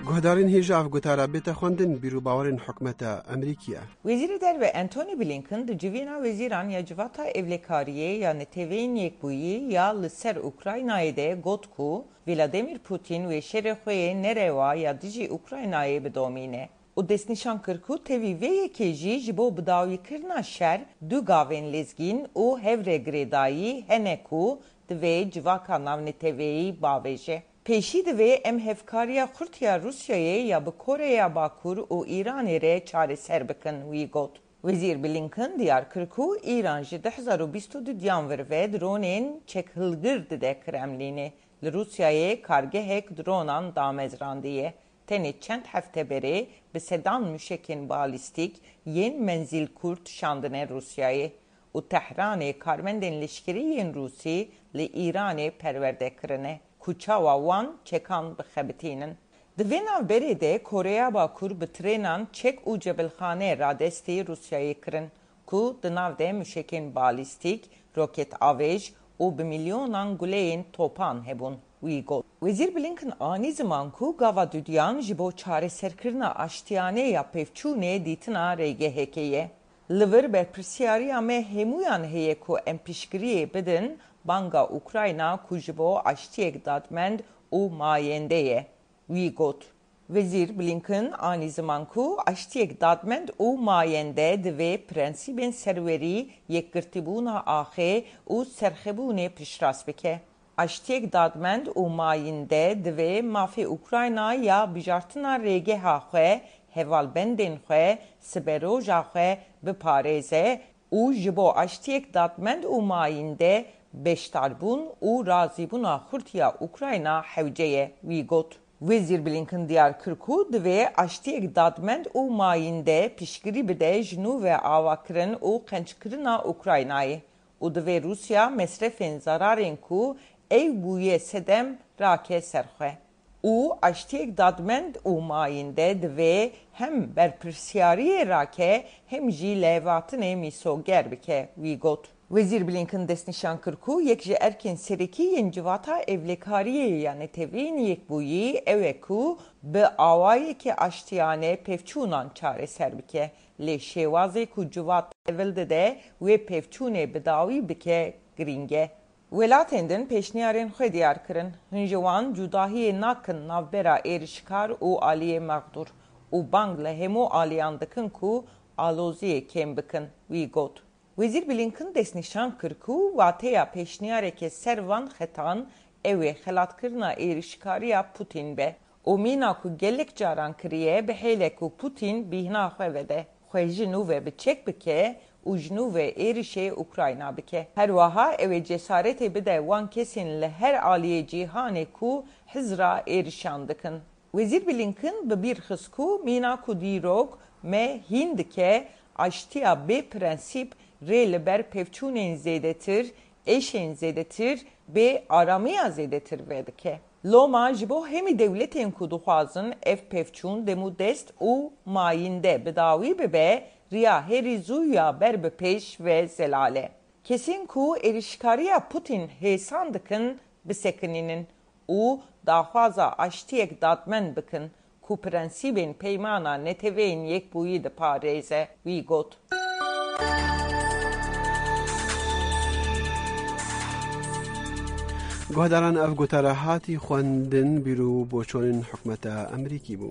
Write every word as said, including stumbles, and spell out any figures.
Guhdarên hêja ev gotara bête xwendin, bîr û bawerên hikûmeta Amerîkî ye. Wezîrê Derve Antony Blinken di Civîna Wezîran ya Civata Ewlekariyê ya Neteweyên Yekbûyî ya li ser Ukraynayê de got ku Vladimir Putin wê şerê xwe yê nerewa ya dijî Ukraynayê bidomîne û destnîşan kir ku tevî vê yekê jî ji bo bidawîkirina şer du gavên lezgîn û hev re girêdayî hene ku divê civaka navneteweyî bavêje. Pêşî divê em hevkariya xurt ya Rûsyayê ya bi Koreya Bakur û Îranê re çareser bikin, wî got. Wezîr Blinken diyar kir ku Îran ji du hezar û bîst û du diyan vir ve dronên çekhilgir dide Kremlînê. Li Rûsyayê kargehek dronan damezrandiye. Tenê çend hefte berê bi sedan muşekên balîstîk yên menzîlkurt şandine Rûsyayê û Tehranê karmendên leşkerî yên Rûsî li Îranê perwerde kirine ku çawa wan çekan bixebitînin. Di vê navberê de Koreya Bakur bi trênan çek û cebilxane radestî Rûsyayê kirin ku di nav de muşekên balîstîk, roket avêj û bi milyonan guleyên topan hebûn, wî got. Wezîr Blinken anî ziman ku gava dudiyan ji bo çareserkirina aştiyane ya pevçûnê dîtina rêgehekê ye. Li vir berpirsiyariya me hemûyan heye ku em piştgiriyê bidin banga Ukrayna ku ji bo aştiyek dadmend û mayende ye, wî got. Wezîr Blinken anî ziman ku aştiyek dadmend û mayende divê prensîbên serwerî, yekgirtîbûna axê û serxwebûnê piştrast bike. Aştiyek dadmend û mayînde divê mafê Ukrayna ya bijartina rêgeha xwe, hevalbendên xwe, siberoja xwe biparêze û ji bo aştiyek dadmend û mayînde beşdarbûn û razîbûna xurt ya Ukrayna hewce ye, wî got. Wezîr Blinken diyar kir ku divê aştiyek dadmend û mayînde piştgirî bide ji nû ve avakirin û qencikirina Ukraynayê û divê Rûsya mesrefên zararên ku ew bûye sedem rake ser xwe. Û aştiyek dadmend û mayînde divê hem berpirsiyariyê rake hem jî lêhatinê mîsoger bike, wî got. Wezîr Blinken destnîşan kir ku yek ji erkên serekî yên Civata Ewlekariyê ya Neteweyên Yekbûyî ew e ku bi awayekî aştiyane pevçûnan çareser bike. Lê şêwazê ku civat tevil dide wê pevçûnê bi dawî bike girîng e. Welatên din pêşniyarên xwe diyar kirin. Hin ji wan cudahiyê nakin navbera êrişkar û aliyê mexdûr û bang li hemû aliyan dikin ku aloziyê kêm bikin, wî got. Wezîr Blinken destnîşan kir ku wateya pêşniyareke ser van xetan ew ê xelatkirina êrişkariya Putin be û mîna ku gelek caran kiriye, bihêle ku Putin bîhna xwe vede, xwe ji nû ve bi çek bike û ji nû ve êrişê Ukrayna bike. Her wiha ew ê cesaretê bide wan kesên li her aliyê cîhanê ku hizra êrişan dikin. Wezîr Blinken bi bîr xist ku mîna ku dîrok me hîn dike, aştiya bê prensîp rê li ber pevçûnên zêdetir, êşên zêdetir, bê aramiya zêdetir vedike. Loma ji bo hemî dewletên ku dixwazin ev pevçûn demûdest û mayînde bi dawî bibe, riya herî zû ya ber bi pêş ve zelal e. Kesên ku êrişkariya Putin hêsan dikin, bisekinînin û daxwaza aştiyek dadmend bikin ku prensîbên Peymana Neteweyên Yekbûyî diparêze, wî got. Guhdaran, ev gotara hatî xwendin, bîr û boçonên hikûmeta Amerîkî bû.